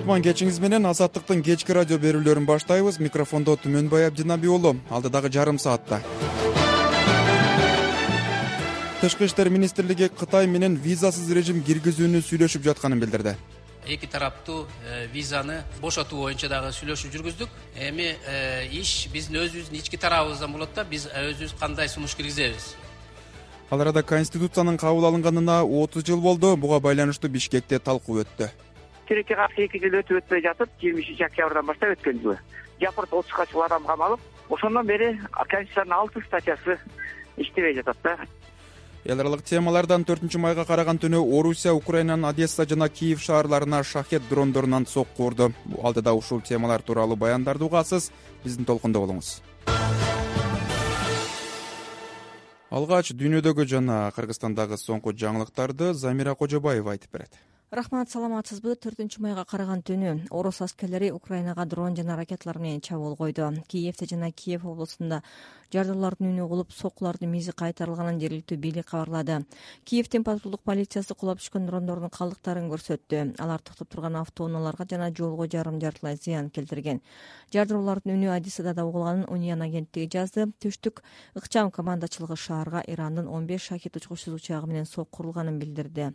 кутман кечиңиз менен Азаттыктын кечки радио берүүлөрүн баштайбыз. Микрофондо Түмөнбай Абдинабиулу. Алдыдагы жарым саатта Тышкы иштер министрлиги Кытай менен визасыз режим киргизүүнү сүйлөшүп жатканын билдирди. Эки тараптуу визаны бошотуу боюнча дагы сүйлөшүү жүргүздүк. Эми иш биздин өзүбүздүн ички тарабыбыздан болот да, биз өзүбүз кандай сунуш киргизебиз. Ал арада Конституциянын кабыл алынганына 30 жыл болду. Буга байланыштуу Бишкекте талкуу өттү. Тилекке каршы 2 жыл өтүп жатып, 23 октябрдан баштап өткөн жылы жапырт 30га чыккан адам камалып, ошондон бери Конституциянын 6 статьясы иштебей жатат да. Эл аралык темалардан 4-майга караган түнү Орусия Украинанын Одесса жана Киев шаарларына шахет дрондорунан сокку урду. Алдыда ушул темалар тууралуу баяндарды угасыз. Биздин толкундо болуңуз. Алгач дүйнөдөгү жана Кыргызстандагы соңку жаңылыктарды Замира Кожобаева айтып берет. Рахмат, саламатсызбы? 4-майга караган түнү орус аскерлери Украинага дрон жана ракеталар менен чабуул койду. Киевте жана Киев облусунда жардарлардын үнү угулуп, соккулардын мизи кайтарылганын жергиликтүү бийлик кабарлады. Киевдин патрулдук полициясы кулап түшкөн дрондордун калдыктарын көрсөттү. Алар токтоп турган автоунааларга жана жолго жарым жартылай зыян келтирген. Жардыруулардын үнү Одессада да угулганын Униан агенттиги жазды. Түштүк ыкчам командачылыгы шаарга Ирандын 15 шахет учкучсуз учагы менен сокку урулганын билдирди.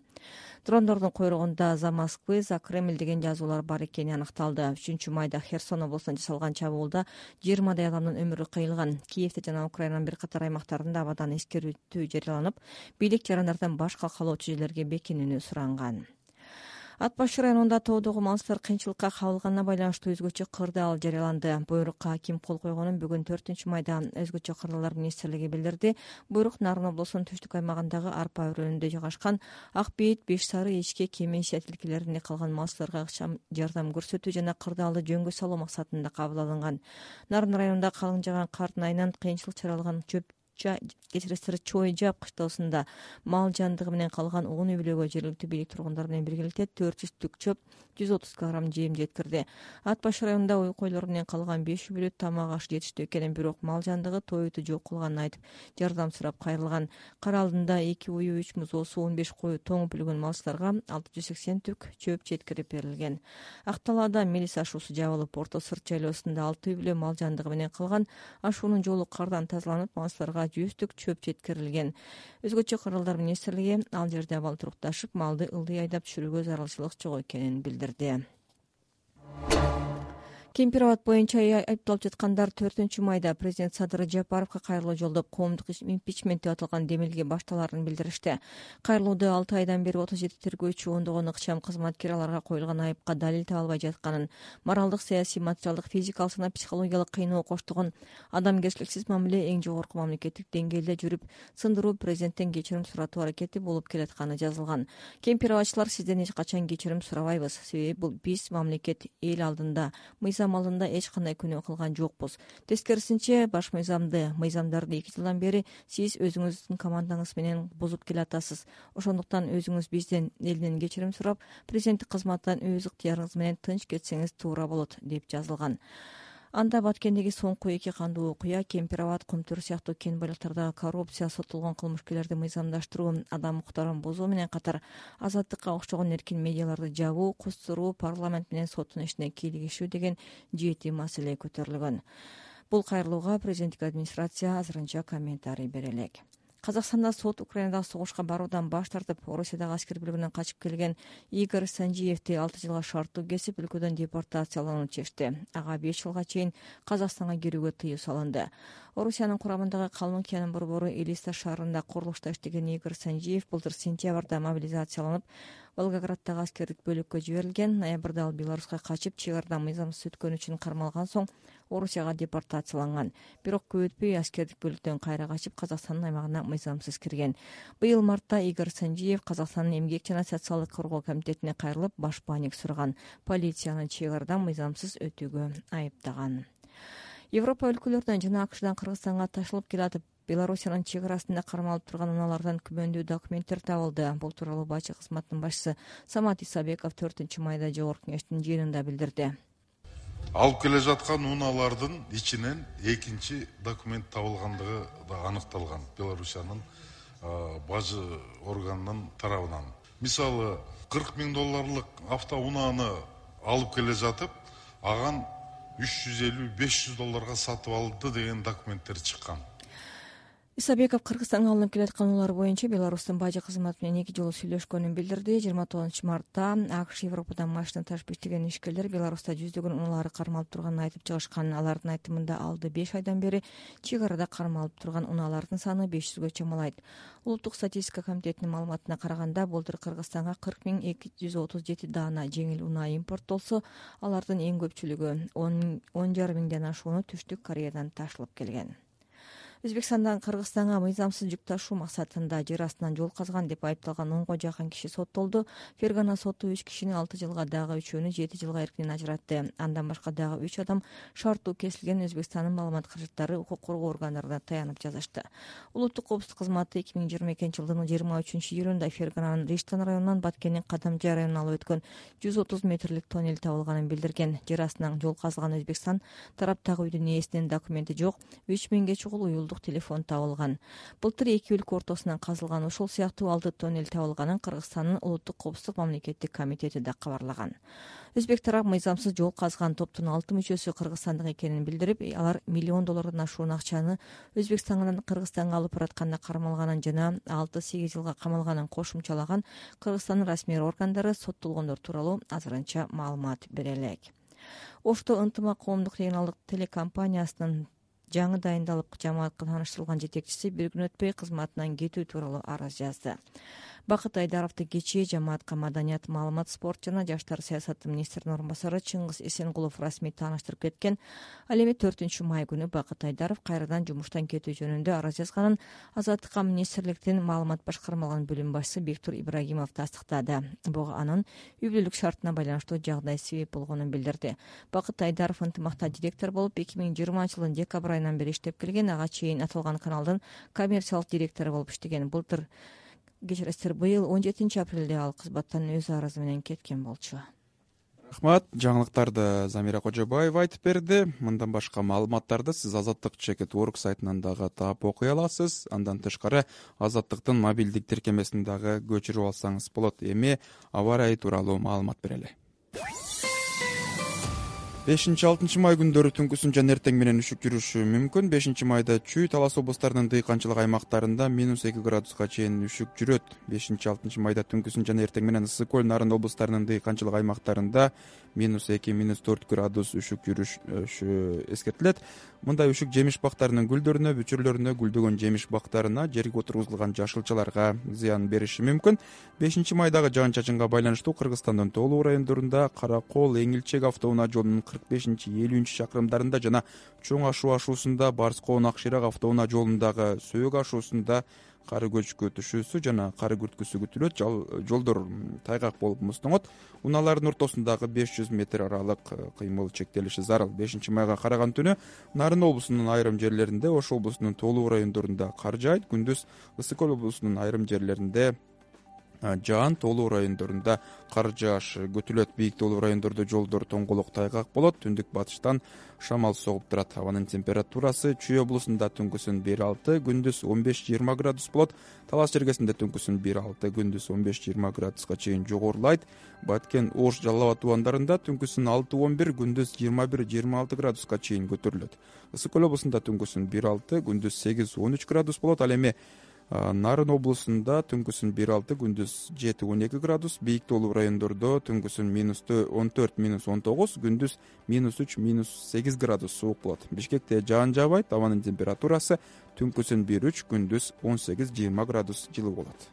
Дрондордун койрогунда «За Москвы, за Кремль» деген жазуулар бар экени аныкталды. 3-майда Херсон облусунда жасалган чабуулда 20 адамдын өмүрү кыйылган. Киевте жана Украинанын бир катар аймактарында абадан эскертүү жарыяланып, бийлик жарандардан баш калкалоочу жерлерге бекинүүнү суранган. Ат Башы районунда тоодогу малчылар кыйынчылыкка кабылганына байланыштуу өзгөчө кырдаал жарыяланды. Буйрукка ким кол койгонун бүгүн 4-майда өзгөчө кырдаалдар министрлиги билдирди. Буйрук Нарын облусунун түштүк аймагындагы арпа өрөөнүндө жайгашкан Ак Бейит, Беш Сары, Эчке, Кеменше тилкелеринде калган малчыларга ыкчам жардам көрсөтүү жана кырдаалды жөнгө салуу максатында кабыл алынган. Нарын районунда калың жааган кардын айынан кыйынчылык чаралган Чой Жап кыштоосунда мал жандыгы менен калган уун үй бүлөгө жергиликтүү бийлик тургундар менен биргеликте 400 түк чөп, 130 кг жем жеткирди. Ат Башы районунда ой койлор менен калган 5 үй бүлө тамак аш жетиштүү экенин, бирок мал жандыгы тоюту жок кылганын айтып, жардам сурап кайрылган. Кара алдында 2 уyu, 3 музоосу, 15 кою тоңуп үлгөн малчыларга 680 түк чөп жеткирип берилген. Акталаада мелис ашуусу жабылып, Орто Сырт жайлоосунда 6 үй бүлө мал жандыгы менен калган. Ашуунун жолу кардан тазаланып, малчыларга 100 түк чөп жеткирилген. Өзгөчө кырдаалдар министрлиги ал жерде абал турукташып, малды ылдый айдап түшүрүүгө зарылчылык жок экенин билдирди. Кемпир-Абад боюнча айыпталып жаткандар 4-майда президент Садыр Жапаровго кайрылуу жолдоп коомдук импичмент деп аталган демилге башталарын билдиришти. Кайрылууда 6 айдан бери 37 тергөөчү, ондогон ыкчам кызматкер аларга коюлган айыпка далил таба албай жатканын, моралдык, саясий, материалдык, физикалык жана психологиялык кыйноо коштогон адамгерчиликсиз мамиле эң жогорку мамлекеттик деңгээлде жүрүп, сындыруу президенттен кечирим суратуу аракети болуп келатканы жазылган. Кемпир-Абадчылар, сизден эч качан кечирим сурабайбыз, себеби бул биз мамлекет эл алдында алдында эч кандай күнөө кылган жокпуз. Тескерисинче, баш мыйзамдарды 2 жылдан бери сиз өзүңүздүн командаңыз менен бузуп келатасыз. Ошондуктан өзүңүз бизден, элден кечирим сурап, президенттик кызматтан өз ыктыярыңыз менен тынч кетсеңиз туура болот, деп жазылган. Анда Баткендеги соңку 2 кандуу окуя, Кемпир-Абад, Кумтөр сыяктуу кен байлыктарда коррупция, соттолгон кылмышкерлерди мыйзамдаштыруу, адам укуктарын бузуу менен катар Азаттыкка окшогон эркин медиаларды жабуу, кустуруу, парламент менен соттун ишине кийлигишүү деген 7 маселе көтөрүлгөн. Бул кайрылууга президенттик администрация азырынча комментарий бере элек. Казакстанда сот Украинадагы согушка баруудан баш тартып, Орусиядагы аскер бөлүгүнөн качып келген Игорь Санжиевди 6 жылга шарттуу кесип, өлкөдөн депортациялоону чечти. Ага 5 жылга чейин Казакстанга кирүүгө тыюу салынды. Орусиянын курамындагы Калмыкиянын борбору Элиста шаарында курулушта иштеген Игорь Санжиев былтыр сентябрда мобилизацияланып, Волгограддагы аскердик бөлүккө жиберилген. Ноябрда ал Беларуска качып, чек арада мыйзамсыз өткөнү үчүн кармалган соң Орусияга депортацияланган. Бирок көп өтпөй аскердик бөлүктөн кайра качып, Казакстандын аймагына мыйзамсыз кирген. Быйыл мартта Игорь Санжиев Казакстандын эмгек жана социалдык коргоо комитетине кайрылып, баш бааник сураган. Полицияны чек арадан мыйзамсыз өтүүгө айыптаган. Европа өлкөлөрүнөн жана АКШдан Кыргызстанга ташылып келатып, Белоруссиянын чек арасында кармалып турган унаалардан күмөндүү документтер табылды. Бул тууралуу бачы кызматынын башчысы Самат Исабеков 4-майда жогорку кеңештин жыйынында билдирди. Алып келе жаткан унаалардын ичинен экинчи документ табылгандыгы да аныкталган Белоруссиянын бажы органынын тарабынан. Мисалы, $40,000 автоунааны алып келе жатып аган $350–500 сатып алды деген документтер чыккан. Исабеков Кыргызстанга алынып келаткан унуулар боюнча Беларустун бажы кызматы менен 2 жолу сүйлөшкөнүн билдирди. 29-мартта АКШ Европадан машина ташып иштеген ишкерлер Беларуста жүздөгөн унаалары кармалып турганын айтып чыгышкан. Алардын айтымында алды 5 айдан бери чек арада кармалып турган унаалардын саны 500гө чамалайт. Улуттук статистика комитетинин маалыматына караганда, былтыр Кыргызстанга 40.237 даана жеңил унаа импорттолсо, алардын эң көпчүлүгү 10,5 миңден ашууну Түштүк Кореядан ташылып келген. Өзбекстандан Кыргызстанга мыйзамсыз жүк ташуу максатында жер астынан жол казган деп айыпталган 10го жакын киши соттолду. Фергана соту 3 кишини 6 жылга, дагы 3-өөнү 7 жылга эркинен ажыратты. Андан башка дагы 3 адам шарттуу кесилген Өзбекстандын маалымат каражаттары укук коргоо органдарына таянып жазышты. Улуттук коопсуздук кызматы 2022-жылдын 23-июлунда Фергананын Риштан районунан Баткендин Кадамжай районуна алып өткөн 130 метрлик тоннель табылганын билдирген. Жер астынан жол казган Өзбекстан тараптагы үйдүн ээсинин документи жок, 3000ге чукул уюлдук телефон табылган. Былтыр 2 өлкө ортосунан казылган ушул сыяктуу 6 тоннель табылганын Кыргызстандын улуттук коопсуздук мамлекеттик комитети да кабарлаган. Өзбек тарап мыйзамсыз жол казган топтун 6 мүчөсү кыргызстандык экенин билдирип, алар $1 миллион ашуун акчаны Өзбекстандан Кыргызстанга алып баратканда кармалганын жана 6-8 жылга камалганын кошумчалаган. Кыргызстандын расмий органдары соттолгондор тууралуу азырынча маалымат бере элек. Ошто ынтымак коомдук регионалдык телекомпаниясынын жаңы дайындалып жамаатка тааныштырылган жетекчиси бир күн өтпөй кызматынан кетүү тууралуу арыз жазды. Бакыт Айдаровду кечээ жамаатка маданият, маалымат, спорт жана жаштар саясаты министринин орун басары Чыңгыз Эсенгулов расмий тааныштырып кеткен. Ал эми 4-май күнү Бакыт Айдаров кайрадан жумуштан кетүү жөнүндө арыз жазганын Азаттыкка министрликтин маалымат башкармалыгынын бөлүм башчысы Бектур Ибрагимов тастыктады. Буга анын үй бүлөлүк шартына байланыштуу жагдай себеп болгонун билдирди. Бакыт Айдаров ынтымакта директор болуп 2020-жылдын декабрь айынан бери иштеп келген. Ага чейин аталган каналдын коммерциялык директору болуп иштеген. Былтыр быйыл 17 апрелде ал кызматтан өз арызы менен кеткен болчу. Рахмат. Жаңылыктарды Замира Кожобаева айтып берди. Мындан башка маалыматтарды сиз Азаттык.org сайтынан дагы таап окуй аласыз. Андан тышкары Азаттыктын мобилдик тиркемесин дагы көчүрүп алсаңыз болот. Эми аба ырайы тууралуу маалымат берели. 5-6 май күндөрү түнкүсүн жана эртең менен үшүк жүрүшү мүмкүн. 5-майда Чүй, Талас облустарынын дыйканчылык аймактарында -2 градуска чейин үшүк жүрөт. 5-6 майда түнкүсүн жана эртең менен Ысык көл, Нарын облустарынын дыйканчылык аймактарында -2–4 градус үшүк жүрүшү эскертилет. Мындай үшүк жемиш бактарынын гүлдөрүнө, бүчүрлөрүнө, гүлдөгөн жемиш бактарына, жерге отургузулган жашылчаларга зыян бериши мүмкүн. 5-майдагы жаан-чачынга байланыштуу Кыргызстандын тоолуу райондорунда Кара Кол, Эңилчек автоунаа жолунун 45-50 чакырымдарында жана Чоң Ашуу ашуусунда, Барскоон Акширак автоунаа жолундагы Сөөк ашуусунда кар көчкү түшүүсү жана кар күрткүсү күтүлөт. Жолдор тайгак болуп муздоңот. Унаалардын ортосундагы 500 метр аралык кыймыл чектелиши зарыл. 5-майга караган түнү Нарын облусунун айрым жерлеринде, Ош облусунун тоолуу райондорунда кар жаайт. Күндүз Ысык көл облусунун айрым жерлеринде жаан, тоолуу райондорунда кар жааш күтүлөт. Бийик тоолуу райондордо жолдор тоңголок тайгак болот. Түндүк батыштан шамал согуп турат. Абанын температурасы Чүй облусунда түнкүсүн 1-6, күндүз 15-20 градус болот. Талас жергесинде түнкүсүн 1-6, күндүз 15-20 градуска чейин жогорулайт. Баткен, Ош, Жалал Абад тубандарында түнкүсүн 6-11, күндүз 21-26 градуска чейин көтөрүлөт. Ысык көл облусунда түнкүсүн 1-6, күндүз 8-13 градус болот. Ал эми Нарын облусунда түнкүсүн 1-6, күндүз 7-12 градус, бийик тоолуу райондордо түнкүсүн -14–19, күндүз -3–8 градус суук болот. Бишкекте жаан жаабайт, абанын температурасы түнкүсүн 1-3, күндүз 18-20 градус жылуу болот.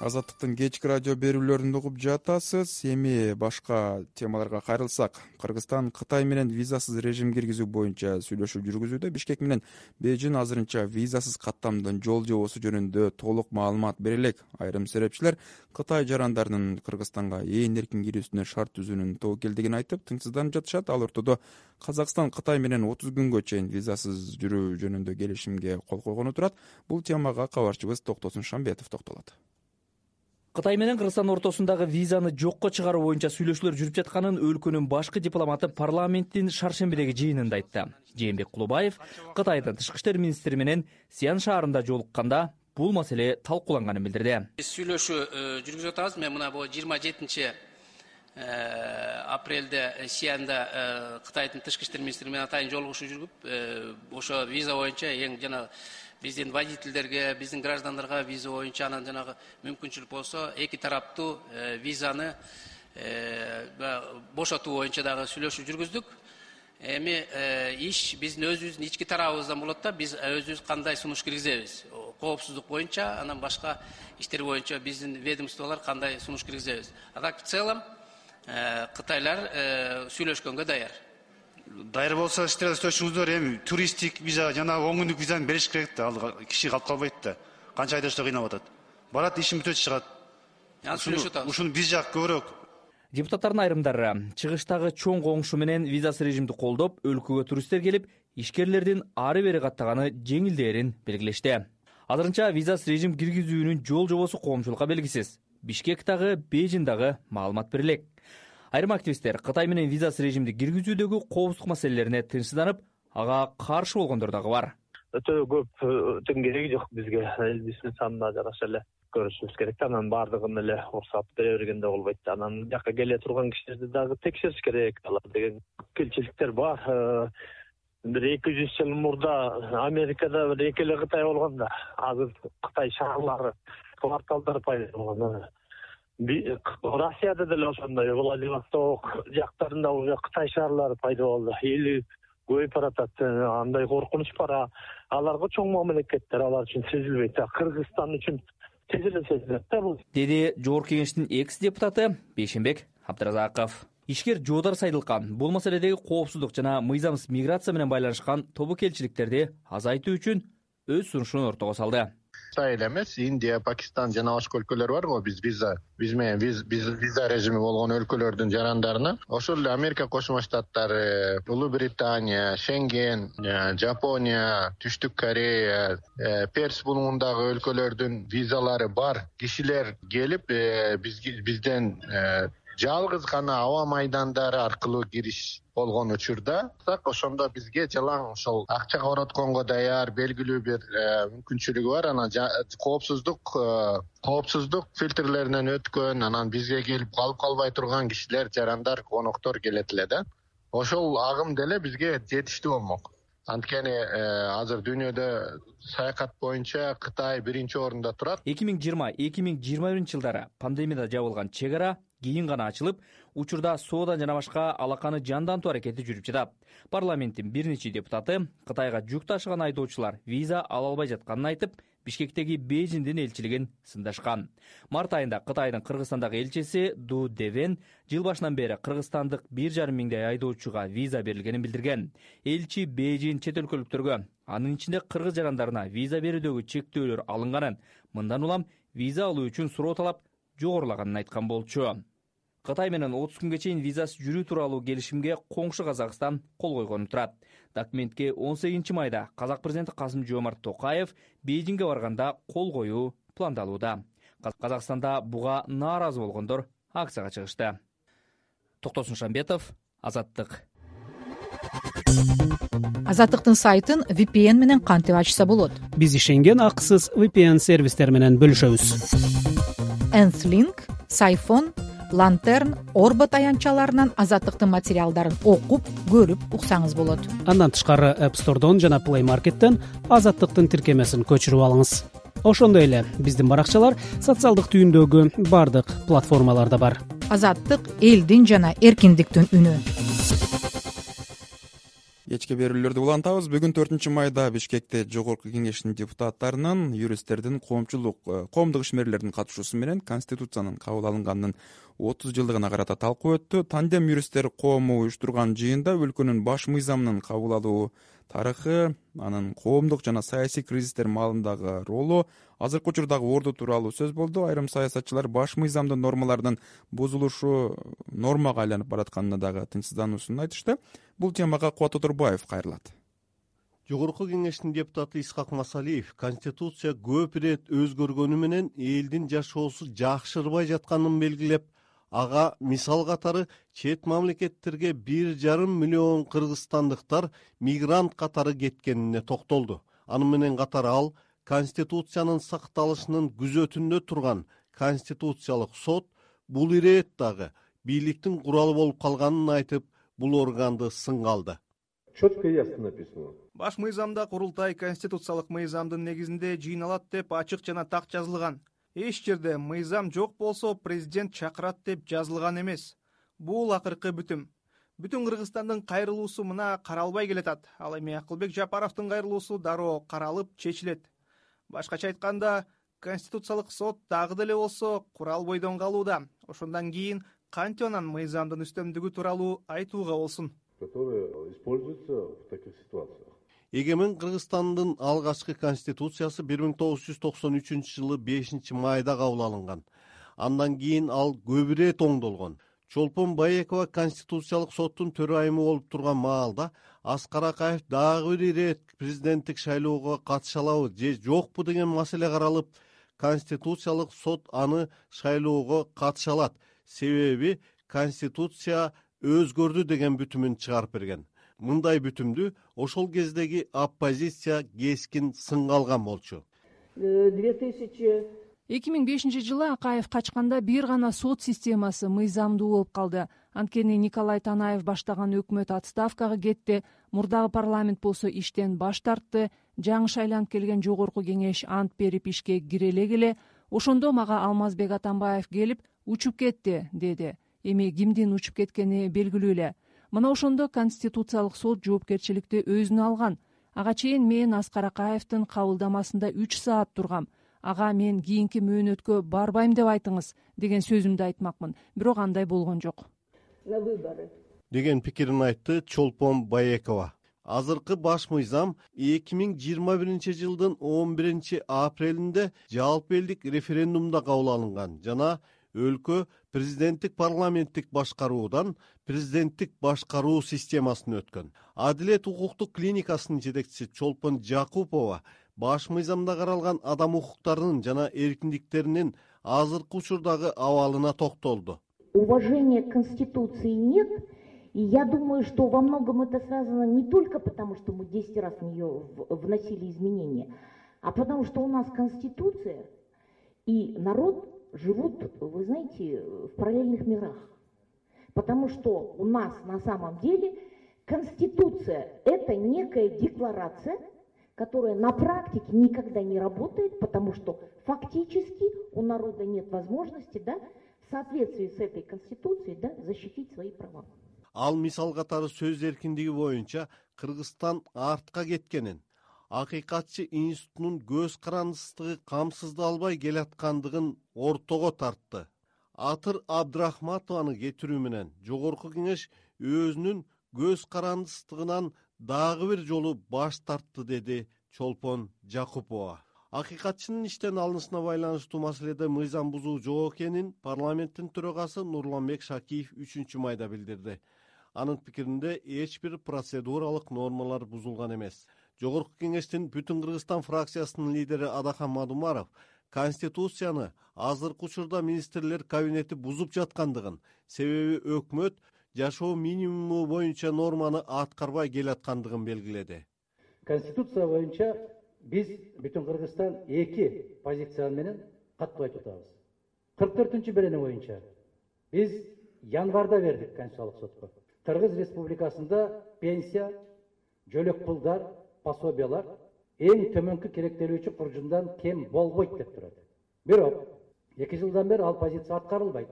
Азаттыктын кечки радио берүүлөрүн угуп жатасыз. Эми башка темаларга кайрылсак, Кыргызстан Кытай менен визасыз режим киргизүү боюнча сүйлөшүү жүргүзүүдө. Бишкек менен Бейжин азырынча визасыз каттамдын жол жобосу жөнүндө толук маалымат бере элек. Айрым серепчилер Кытай жарандарынын Кыргызстанга ээн эркин кирүүсүнө шарт түзүүнүн тобокелдигин айтып, тынчсызданып жатышат. Ал ортодо Казакстан Кытай менен 30 күнгө чейин визасыз жүрүү жөнүндө келишимге кол койгону турат. Бул темага кабарчыбыз Токтосун Шамбетов токтолот. Кытай менен Кыргызстан ортосундагы визаны жокко чыгаруу боюнча сүйлөшүүлөр жүрүп жатканын өлкөнүн башкы дипломаты парламенттин шаршембидеги жыйынында айтты. Жээнбек Кулубаев Кытайдын тышкы иштер министри менен Сиан шаарында жолукканда бул маселе талкууланганын билдирди. Биз сүйлөшүү жүргүзүп атабыз. Мен мына бул 27 апрелде Сианда Кытайдын тышкы иштер министри менен атайын жолугушуу жүргүп, ошо виза боюнча эң жана биздин водительдерге, биздин граждандарга виза боюнча анан жанагы мүмкүнчүлүк болсо эки тараптуу визаны бошотуу боюнча дагы сүйлөшүү жүргүздүк. Эми иш биздин өзүбүздүн ички тарабыбыздан болот да, биз өзүбүз кандай сунуш киргизебиз, коопсуздук боюнча, анан башка иштер боюнча биздин ведомстволор кандай сунуш киргизебиз. А так в целом Кытайлар сүйлөшкөнгө даяр. Даяр болсо иштөөчүңүздөр эми туристтик виза жана 10 күндүк визаны бериш керек да, ал киши калып калбайт да. Канча айда ошто кыйнап атат. Барат, ишин бүтөт чыгат. Ушуну биз жак көбүрөөк. Депутаттардын айрымдары чыгыштагы чоң коңшу менен визасыз режимди колдоп, өлкөгө туристтер келип, ишкерлердин ары бери каттаганы жеңилдээрин белгилешти. Азырынча визасыз режим киргизүүнүн жол жобосу коомчулукка белгисиз. Бишкектагы, Бейжиңдагы маалымат берилек. Айрым активисттер Кытай менен визасыз режимди киргизүүдөгү коопсуздук маселелерине тынчсызданып, ага каршы болгондор дагы бар. Өтө көптүн кереги жок бизге. Элибиздин санына жараша эле көрүшүбүз керек. Анан бардыгын эле уруксат бере бергенде болбойт. Анан жака келе турган кишилерди дагы текшериш керек. Алар деген келчиликтер бар. Бир 200 жыл мурда Америкада бир эки эле Кытай болгон да. Азыр Кытай шаарлары, кварталдары пайда болгон. Россияда деле ошондой, Владивосток жактарында уже Кытай шаарлары пайда болду. Эли көйүп баратат, андай коркунуч бар. Аларга чоң мамлекеттер, алар үчүн сезилбейт. Кыргызстан үчүн тез эле сезилет да бул. Деди Жогорку Кеңештин экс-депутаты Бейшенбек Абдыразаков. Ишкер Жоодар Сайдылкан бул маселедеги коопсуздук жана мыйзамсыз миграция менен байланышкан тобокелчиликтерди азайтуу үчүн өз сунушун ортого салды. Кытай эле эмес, Индия, Пакистан жана башка өлкөлөр бар го, биз менен виза режими болгон өлкөлөрдүн жарандарына. Ошол эле Америка Кошмо Штаттары, Улуу Британия, Шенген, Жапония, Түштүк Корея, Перс булугундагы өлкөлөрдүн визалары бар кишилер келип, бизден жалгыз гана аба майдандары аркылуу кириш болгон учурда, ошондо бизге жалаң ошол акча коротконго даяр белгилүү бир мүмкүнчүлүгү бар. Анан коопсуздук фильтрлеринен өткөн, анан бизге келип калып калбай турган кишилер, жарандар, коноктор келет эле да. Ошол агым деле бизге жетиштүү болмок. Анткени азыр дүйнөдө саякат боюнча Кытай биринчи орунда турат. 2020-2021 жылдары пандемияда жабылган чек ара кийин гана ачылып, учурда соода жана башка алаканы жандантуу аракети жүрүп жатат. Парламенттин бир нече депутаты Кытайга жүк ташыган айдоочулар виза ала албай жатканын айтып, Бишкектеги Бейжиңдин элчилигин сындашкан. Март айында Кытайдын Кыргызстандагы элчиси Ду Девен жыл башынан бери кыргызстандык 1,5 миңдей айдоочуга виза берилгенин билдирген. Элчи Бейжиң чет өлкөлүктөргө, анын ичинде кыргыз жарандарына виза берүүдөгү чектөөлөр алынганын, мындан улам виза алуу үчүн суроо талап жогорулаганын айткан болчу. Кытай менен 30 күнгө чейин визасыз жүрүү тууралуу келишимге коңшу Казакстан кол койгону турат. Документке 18 майда Казак президенти Касым-Жомарт Токаев Бейжиңге барганда кол коюу пландалууда. Казакстанда буга нааразы болгондор акцияга чыгышты. Токтосун Шамбетов, Азаттык. Азаттыктын сайтын VPN менен кантип ачса болот? Биз ишенген акысыз VPN сервистер менен бөлүшөбүз. Nth-Link, Сайфон, Lantern, Орбот аянтчаларынан Азаттыктын материалдарын окуп, көрүп уксаңыз болот. Андан тышкары App Store'дон жана Play Market'тен Азаттыктын тиркемесин көчүрүп алыңыз. Ошондой эле биздин баракчалар социалдык түйүндөгү бардык платформаларда бар. Азаттык элдин жана эркиндиктин үнү. Кечки берүүлөрдү улантабыз. Бүгүн 4 майда Бишкекте Жогорку Кеңештин депутаттарынын, юристтердин, коомдук ишмерлердин катышуусу менен Конституциянын кабыл алынганынын 30 жылдыгына карата талкуу өттү. Тандем юристтер коому уюштурган жыйында өлкөнүн баш мыйзамынын кабыл алуу тарыхы, анын коомдук жана саясий кризистер маалындагы ролу, азыркы учурдагы орду тууралуу сөз болду. Айрым саясатчылар баш мыйзамдын нормаларынын бузулушу нормага айланып баратканына дагы тынчсыздануусун айтышты. Бул темага Кубат Отурбаев кайрылат. Жогорку Кеңештин депутаты Исхак Масалиев Конституция көп ирет өзгөргөнү менен элдин жашоосу жакшырбай жатканын белгилеп, ага мисал катары чет мамлекеттерге 1,5 миллион кыргызстандыктар мигрант катары кеткенине токтолду. Аны менен катары ал Конституциянын сакталышынын күзөтүндө турган Конституциялык сот бул ирет дагы бийликтин куралы болуп калганын айтып, бул органды сынга алды. Четко и ясно написано. Баш мыйзамда курултай конституциялык мыйзамдын негизинде жыйналат деп ачык жана так жазылган. Эч жерде мыйзам жок болсо президент чакырат деп жазылган эмес. Бул акыркы бүтүм. Бүтүн Кыргызстандын кайрылуусу мына каралбай келатат. Ал эми Акылбек Жапаровдун кайрылуусу дароо каралып чечилет. Башкача айтканда, Конституциялык сот дагы деле болсо курал бойдон калууда. Ошондон кийин кантип анан мыйзамдын үстөмдүгү тууралуу айтууга болсун. Которые используются в таких ситуациях. Эгемен Кыргызстандын алгачкы конституциясы 1993 жылы 5 майда кабыл алынган. Андан кийин ал көп ирет оңдолгон. Чолпон Баекова Конституциялык соттун төрайымы болуп турган маалда Аскар Акаев дагы бир ирет президенттик шайлоого катыша алабы же жокпу деген маселе каралып, Конституциялык сот аны шайлоого катыша алат. Себеби Конституция өзгөрдү деген бүтүмүн чыгарып берген. Мындай бүтүмдү ошол кездеги оппозиция кескин сынга алган болчу. 2005 жылы Акаев качканда бир гана сот системасы мыйзамдуу болуп калды. Анткени Николай Танаев баштаган өкмөт отставкага кетти, мурдагы парламент болсо иштен баш тартты, жаңы шайланып келген жогорку кеңеш ант берип ишке кире эле, ошондо мага Алмазбек Атамбаев келип учуп кетти, деди. Эми кимдин учуп кеткени белгилүү эле. Мына ошондо Конституциялык сот жоопкерчиликти өзүнө алган. Ага чейин мен Аскар Акаевдин кабылдамасында 3 саат тургам. Ага мен кийинки мөөнөткө барбайм деп айтыңыз деген сөзүмдү айтмакмын. Бирок андай болгон жок. Деген пикирин айтты Чолпон Баекова. Азыркы баш мыйзам 2021 жылдын 11 апрелинде жалпы элдик референдумда кабыл алынган жана өлкө президенттик парламенттик башкаруудан президенттик башкаруу системасына өткөн. Адилет укуктук клиникасынын жетекчиси Чолпон Жакупова баш мыйзамда каралган адам укуктарынын жана эркиндиктеринин азыркы учурдагы абалына токтолду. Уважения к Конституции нет, и я думаю, что во многом это связано не только потому, что мы 10 раз в нее вносили изменения, а потому что у нас Конституция и народ живут, вы знаете, в параллельных мирах. Потому что у нас на самом деле Конституция – это некая декларация, которая на практике никогда не работает, потому что фактически у народа нет возможности, в соответствии с этой Конституцией, защитить свои права. Ал мисал катары сөз эркиндиги боюнча Кыргызстан артка кеткенин, акыйкатчы институтунун көз карандысыздыгы камсыздалбай келаткандыгын ортого тартты. Атыр Абдрахматованы кетирүү менен жогорку кеңеш өзүнүн көз карандысыздыгынан дагы бир жолу баш тартты, деди Чолпон Жакупова. Акыйкатчынын иштен алынышына байланыштуу маселеде мыйзам бузуу жок экенин парламенттин төрагасы Нурланбек Шакиев 3 майда билдирди. Анын пикиринде эч бир процедуралык нормалар бузулган эмес. Жогорку кеңештин Бүтүн Кыргызстан фракциясынын лидери Адахан Мадумаров Конституцияны азыркы учурда министрлер кабинети бузуп жаткандыгын, себеби өкмөт жашоо минимуму боюнча норманы аткарбай келаткандыгын белгиледи. Конституция боюнча биз Бүтүн Кыргызстан 2 позиция менен каттуу айтып атабыз. 44-берене боюнча биз январда бердик Конституциялык сотко. Кыргыз Республикасында пенсия, жөлөк пулдар, пособиялар эң төмөнкү керектелүүчү куржундан кем болбойт деп турат. Бирок 2 жылдан бери ал позиция аткарылбайт.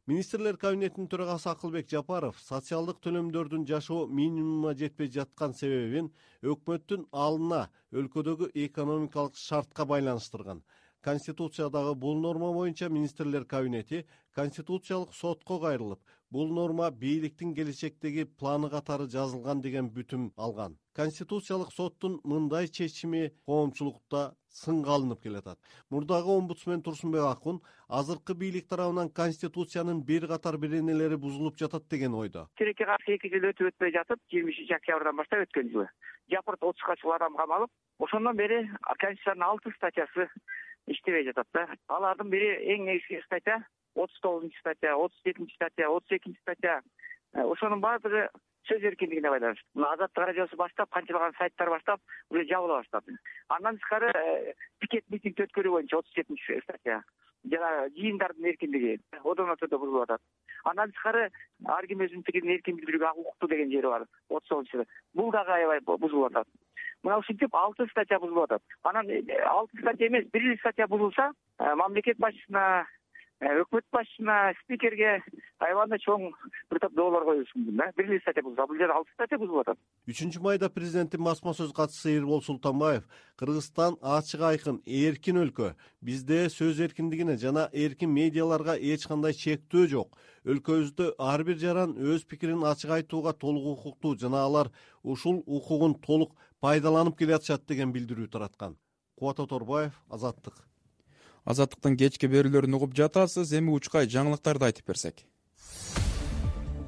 Министрлер кабинетинин төрагасы Акылбек Жапаров социалдык төлөмдөрдүн жашоо минимумуна жетпей жаткан себебин өкмөттүн алына өлкөдөгү экономикалык шартка байланыштырган. Конституциядагы бул норма боюнча министрлер кабинети Конституциялык сотко кайрылып, бул норма бийликтин келечектеги планы катары жазылган деген бүтүм алган. Конституциялык соттун мындай чечими коомчулукта сынга алынып келатат. Мурдагы омбудсмен Турсунбек Акун азыркы бийлик тарабынан Конституциянын бир катар беренелери бузулуп жатат деген ойдо. Тилекке каршы 2 жыл өтпөй жатып, 20 октябрдан баштап өткөн жылы Жапырт 30га чыккан адам камалып, ошондон бери Конституциянын 6 статьясы иштебей жатат да. Алардын бири эң негизги статья 39 статья, 37 статья, 32 статья. Ошонун баардыгы сөз эркиндигине байланыштуу. Мына Азаттык радиосу баштап, канчалаган сайттар баштап уже жабыла баштады. Андан тышкары пикет митинг өткөрүү боюнча 37 статья. Жана жыйындардын эркиндиги одон өтөдө бузулуп атат. Андан тышкары ар ким өзүнүн пикирин эркин билдирүүгө укуктуу деген жери бар 39-чы. Бул дагы аябай бузулуп атат. Мына ушинтип 6 статья бузулуп атат. Анан 6 статья эмес, 1 статья бузулса, мамлекет башчысына, өкмөт башчысына, спикерге аябай чоң бир топ доолор коюлушу мүмкүн да. 1 статья бузулса, бул жерде 6 статья бузулуп атат. 3-майда президенттин басма сөз катчысы Эрбол Султанбаев Кыргызстан ачык айкын эркин өлкө. Бизде сөз эркиндигине жана эркин медиаларга эч кандай чектөө жок. Өлкөбүздө ар бир жаран өз пикирин ачык айтууга толук укуктуу жана алар ушул укугун толук пайдаланып келатышат деген билдирүү тараткан. Кубат Оторбаев, Азаттык. Азаттыктын кечки берүүлөрүн угуп жатасыз. Эми учкай жаңылыктарды айтып берсек.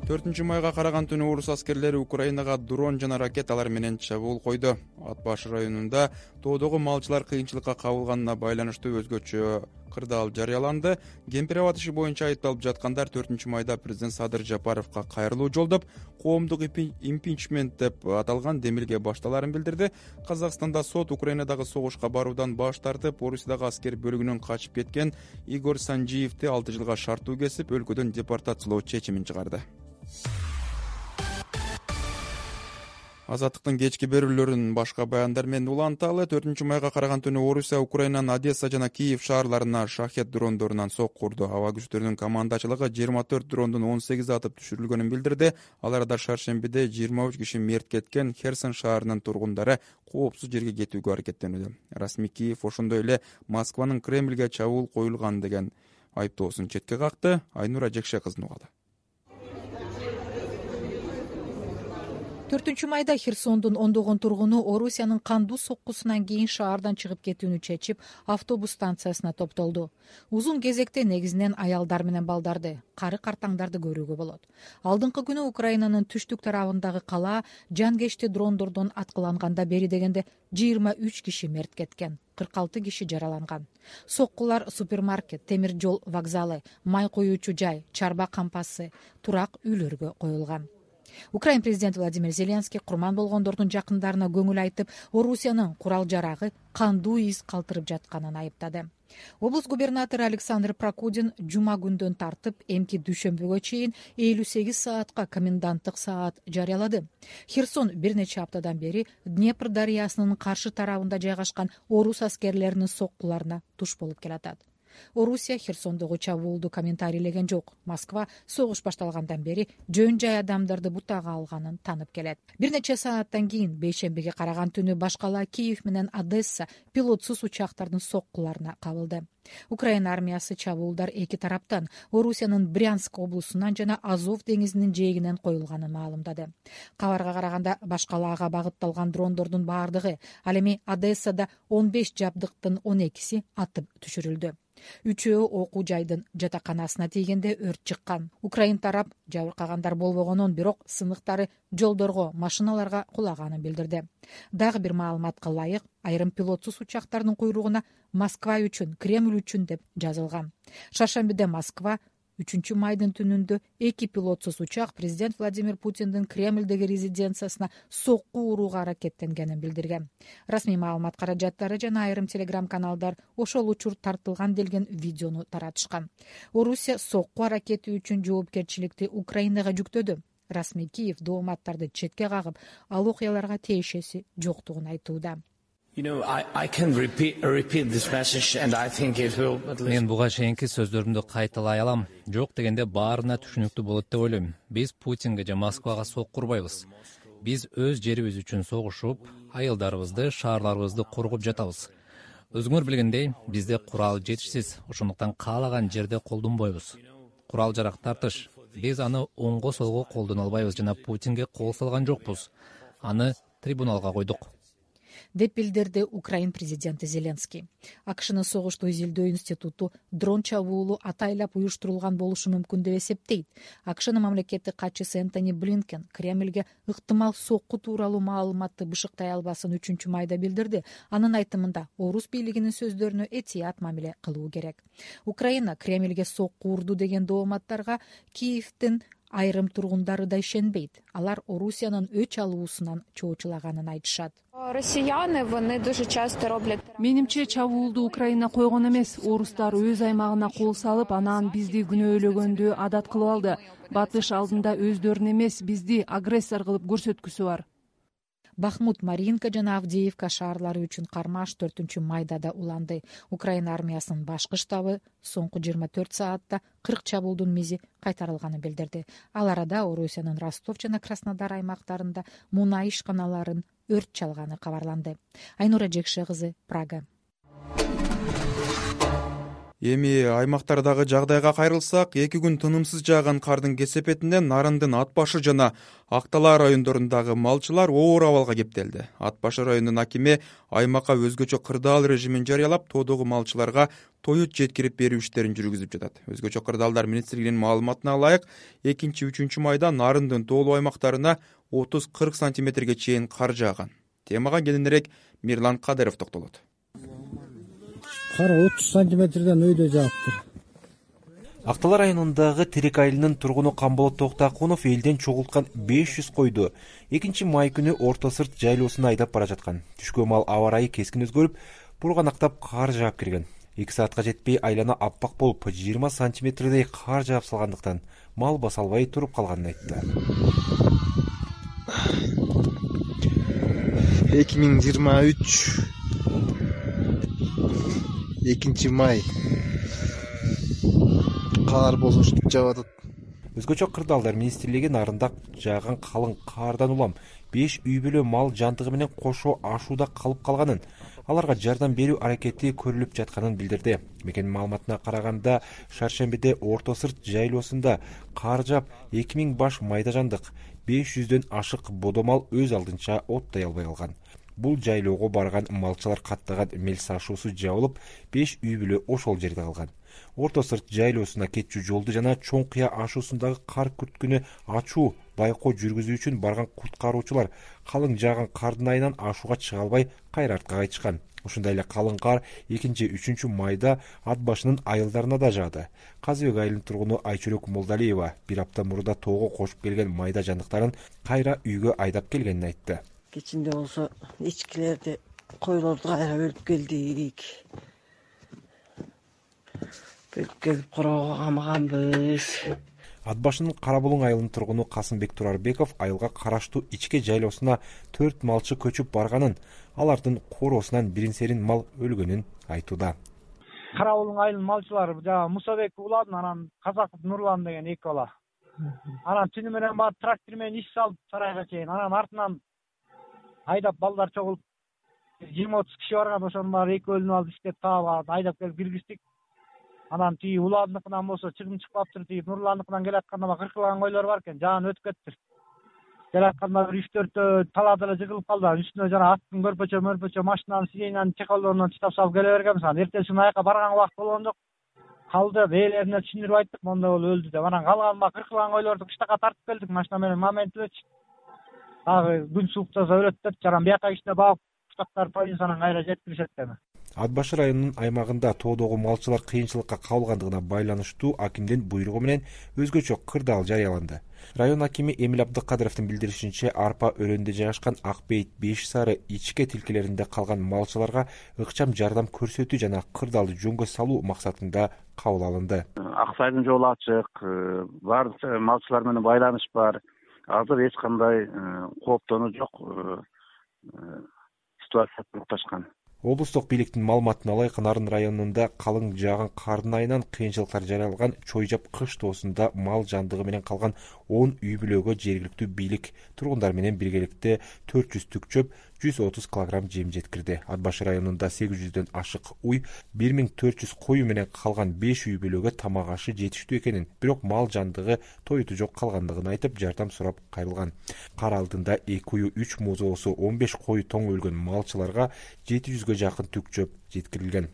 4-майга караган түнү орус аскерлери Украинага дрон жана ракеталар менен чабуул койду. Ат башы районунда тоодогу малчылар кыйынчылыкка кабылганына байланыштуу өзгөчө кырдаал жарыяланды. Кемпир-абад иши боюнча айыпталып жаткандар 4-майда президент Садыр Жапаровго кайрылуу жолдоп, коомдук импичмент деп аталган демилге башталарын билдирди. Казакстанда сот Украинадагы согушка баруудан баш тартып, Орусиядагы аскер бөлүгүнөн качып кеткен Игорь Санжиевди 6 жылга шарттуу кесип, өлкөдөн депортациялоо чечимин чыгарды. Азаттыктын кечки берүүлөрүн башка баяндар менен уланталы. 4-майга караган түнү Орусия Украинанын Одесса жана Киев шаарларына шахет дрондорунан сок курду. Аба күчтөрүнүн командачылыгы 24 дрондун 18 атып түшүрүлгөнүн билдирди. Аларда шаршембиде 23 киши мерт кеткен. Херсон шаарынын тургундары коопсуз жерге кетүүгө аракеттенүүдө. Расмий Киев ошондой эле Москванын Кремльге чабуул коюлган деген айыптоосун четке какты. Айнура Жекше кызын угалы. 4-майда Херсондун ондогон тургуну Орусиянын кандуу соккусунан кийин шаардан чыгып кетүүнү чечип, автобус станциясына топтолду. Узун кезекте негизинен аялдар менен балдарды, кары картаңдарды көрүүгө болот. Алдыңкы күнү Украинанын түштүк тарабындагы кала жангечти дрондордон аткыланганда бери дегенде 23 киши мерт кеткен. 46 киши жараланган. Соккулар супермаркет, темир жол вокзалы, май коюучу жай, чарба кампасы, турак үйлөргө коюлган. Украин президенти Владимир Зеленский курман болгондордун жакындарына көңүл айтып, Орусиянын курал-жарагы кандуу из калтырып жатканын айыптады. Облус губернатору Александр Прокудин жума күндөн тартып эмки дүйшөмбүгө чейин 58 саатка коменданттык саат жарыялады. Херсон бир нече аптадан бери Днепр дарыясынын каршы тарабында жайгашкан орус аскерлеринин соккуларына туш болуп келатат. Орусия Херсондогу чабуулду комментарийлеген жок. Москва согуш башталгандан бери жөн жай адамдарды бутага алганын танып келет. Бир нече сааттан кийин бейшембиге караган түнү башкала Киев менен Одесса пилотсуз учактардын соккуларына кабылды. Украина армиясы чабуулдар эки тараптан Орусиянын Брянск облусунан жана Азов деңизинин жээгинен коюлганын маалымдады. Кабарга караганда башкалаага багытталган дрондордун баардыгы ал эми Одессада 15 жабдыктын 12си атып түшүрүлдү. 3-өө окуу жайдын жатаканасына тийгенде өрт чыккан. Украин тарап жабыркагандар болбогонун, бирок сыныктары жолдорго, машиналарга кулаганын билдирди. Дагы бир маалыматка ылайык, айрым пилотсуз учактардын куйругуна Москва үчүн, Кремль үчүн деп жазылган. Шаршембиде Москва 3-майдын түнүндө 2 пилотсуз учак президент Владимир Путиндин Кремльдеги резиденциясына сокку урууга аракеттенгенин билдирген. Расмий маалымат каражаттары жана айрым телеграм-каналдар ошол учур тартылган делген видеону таратышкан. Орусия сокку аракети үчүн жоопкерчиликти Украинага жүктөдү. Расмий Киев дооматтарды четке кагып, ал окуяларга тиешеси жоктугун айтууда. Мен буга чейинки сөздөрүмдү кайталай алам. Жок дегенде баарына түшүнүктүү болот деп ойлойм. Биз Путинге же Москвага сок курбайбыз. Биз өз жерибиз үчүн согушуп, айылдарыбызды, шаарларыбызды коргоп жатабыз. Өзүңөр билгендей, бизде курал жетишсиз, ошондуктан каалаган жерде колдонбойбуз. Курал-жарак тартыш. Биз аны оңго солго колдоно албайбыз жана Путинге кол салган жокпуз. Аны трибуналга койдук, деп билдирди Украин президенти Зеленский. АКШнын согушту изилдөө институту дрон чабуулу атайлап уюштурулган болушу мүмкүн деп эсептейт. АКШнын мамлекеттик катчысы Энтони Блинкен Кремльге ыктымал сокку тууралуу маалыматты бышыктай албасын 3-майда билдирди. Анын айтымында орус бийлигинин сөздөрүнө этият мамиле кылуу керек. Украина Кремльге сокку урду деген дооматтарга Киевдин айрым тургундары да ишенбейт. Алар Орусиянын өч алуусунан чоочулаганын айтышат. Менимче чабуулду Украина койгон эмес, орустар өз аймагына кол салып, анан бизди күнөөлөгөндү адат кылып алды. Батыш алдында өздөрүн эмес, бизди агрессор кылып көрсөткүсү бар. Бахмут, Маринка жана Авдеевка шаарлары үчүн кармаш 4-майда да уланды. Украина армиясынын башкы штабы соңку 24 саатта 40 чабуулдун мизи кайтарылганын билдирди. Ал арада Орусиянын Ростов жана Краснодар аймактарында мунай ишканаларын өрт чалганы кабарланды. Айнура Жекше кызы, Прага. Эми аймактардагы жагдайга кайрылсак, 2 күн тынымсыз жааган кардын кесепетинен Нарындын Ат башы жана Актала райондорундагы малчылар оор абалга кептелди. Ат башы районунун акими аймакка өзгөчө кырдаал режимин жарыялап, тоодогу малчыларга тоют жеткирип берүү иштерин жүргүзүп жатат. Өзгөчө кырдаалдар министрлигинин маалыматына ылайык, 2-3 майда Нарындын тоолуу аймактарына 30-40 сантиметрге чейин кар жааган. Темага кененирээк Мирлан Кадыров токтолот. Кар 30 сантиметрден өйдө жааптыр. Актала районундагы Терек айылынын тургуну Камболот Токтакунов элден чогулткан 500 койду 2-май күнү Орто Сырт жайлоосуна айдап бара жаткан. Түшкө мал аба ырайы кескин өзгөрүп, бурганактап кар жаап кирген. 2 саатка жетпей айлана аппак болуп, 20 сантиметрдей кар жаап салгандыктан мал баса албай туруп калганын айтты. 2023 2-май кар босуштуп жаап атат. Өзгөчө кырдаалдар министрлиги Нарында жааган калың кардан улам 5 үй бүлө мал жантыгы менен кошо ашууда калып калганын, аларга жардам берүү аракети көрүлүп жатканын билдирди. Мекенин маалыматына караганда, шаршембиде Орто Сырт жайлоосунда кар жаап 2000 баш майда жандык, 500дөн ашык бодомал өз алдынча оттой албай калган. Бул жайлоого барган малчылар каттаган мелс ашуусу жабылып, 5 үй бүлө ошол жерде калган. Орто Сырт жайлоосуна кетчү жолду жана Чоң Кыя ашуусундагы кар күрткүнү ачуу байкоо жүргүзүү үчүн барган куткаруучулар калың жааган кардын айынан ашууга чыга албай кайра артка кайтышкан. Ошондой эле калың кар 2-3 майда Ат башынын айылдарына да жаады. Казыбек айылынын тургуну Айчөлөк Молдалиева бир апта мурда тоого кошуп келген майда жандыктарын кайра үйгө айдап келгенин айтты. Кечинде болсо ичкилерди, койлорду кайра бөлүп келдик. Бөлүп келип короого камаганбыз. Ат башынын Кара Булуң айылынын тургуну Касымбек Турарбеков айылга караштуу ичке жайлоосуна 4 малчы көчүп барганын, алардын короосунан бирин-серин мал өлгөнүн айтууда. Кара Булуң айылынын малчылары жана Мусабек уладын, анан Казаков Нурлан деген 2 бала. Анан түнү менен барып трактор менен иш салып сарайга чейин, анан артынан айдап балдар чогулуп 20-30 киши барган, ошонун баары экөөлүнүп алып иштеп таап айдап келип киргиздик. Анан тиги уладыныкынан болсо чыгым чыкпаптыр, тиги Нурландыкынан келатканда кыркылган койлор бар экен, жаан өтүп кетти. Келатканда бир 3-4 талаада эле жыгылып калды. Үстүнө жана аттын көрпөчө машинанын сиденьянын чекалдорунан чытап салып келе бергенбиз. Анан эртеси күнү аяка барган убакыт болгон жок. Калды, ээлерине түшүндүрүп айттык, мондай болуп өлдү деп. Анан калган кыркылган койлорду кыштакка тартып келдик машина менен, момент элечи. Дагы күн сууктаса өлөт деп, жаран бияка кичине багып, кыштактар полициядан кайра жеткиришет эми. Ат башы районунун аймагында тоодогу малчылар кыйынчылыкка кабылгандыгына байланыштуу акимдин буйругу менен өзгөчө кырдаал жарыяланды. Район акими Эмил Абдыкадыровдун билдиришинче, арпа өрөндө жайгашкан Ак Бейит, Беш Сары ичке тилкелеринде калган малчыларга ыкчам жардам көрсөтүү жана кырдаалды жөнгө салуу максатында кабыл алынды. Ак Сайдын жолу ачык, баардык малчылар менен байланыш бар. Азыр эч кандай кооптонуу жок ситуация токтошкан. Облустук бийликтин маалыматына ылайык, Нарын районунда калың жааган кардын айынан кыйынчылыктар жаралган Чойжап кыш тоосунда мал жандыгы менен калган 10 үй бүлөгө жергиликтүү бийлик тургундар менен биргеликте 400 түк чөп, 130 килограмм жем жеткирди. Ат башы районунда 800дөн ашык уй, 1400 кою менен калган 5 үй бүлөгө тамак ашы жетиштүү экенин, бирок мал жандыгы тоюту жок калгандыгын айтып, жардам сурап кайрылган. Кар алдында 2 уй, 3 музоосу, 15 кою тоң өлгөн малчыларга 700 жакын түк чөп жеткирилген.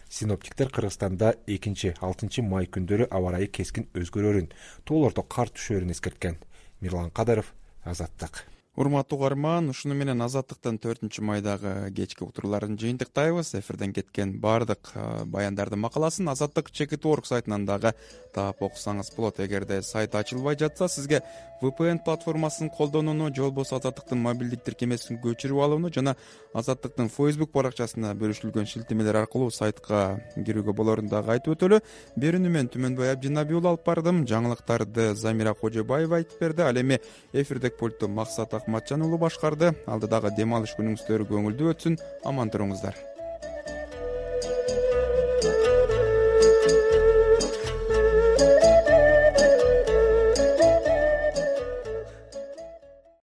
Синоптиктер Кыргызстанда 2-6 май күндөрү аба ырайы кескин өзгөрөрүн, тоолордо кар түшөрүн эскерткен. Мирлан Кадыров, Азаттык. Урматтуу угарман, ушуну менен Азаттыктын 4-майдагы кечки утурларын жыйынтыктайбыз. Эфирден кеткен баардык баяндардын макаласын Азаттык Чекит.org сайтынан дагы таап окусаңыз болот. Эгерде сайт ачылбай жатса, сизге VPN платформасын колдонууну, же болбосо Азаттыктын мобилдик тиркемесин көчүрүп алууну жана Азаттыктын Facebook баракчасына бөлүшүлгөн шилтемелер аркылуу сайтка кирүүгө болорун дагы айтып өтөлү. Берүүнү мен Түмөнбай Абдинаби уулу алып бардым. Жаңылыктарды Замира Кожобаева айтып берди. Ал эми эфирдик пультту Максат Акматжан уулу башкарды. Алдыдагы дем алыш күнүңүздөр көңүлдүү өтсүн. Аман туруңуздар.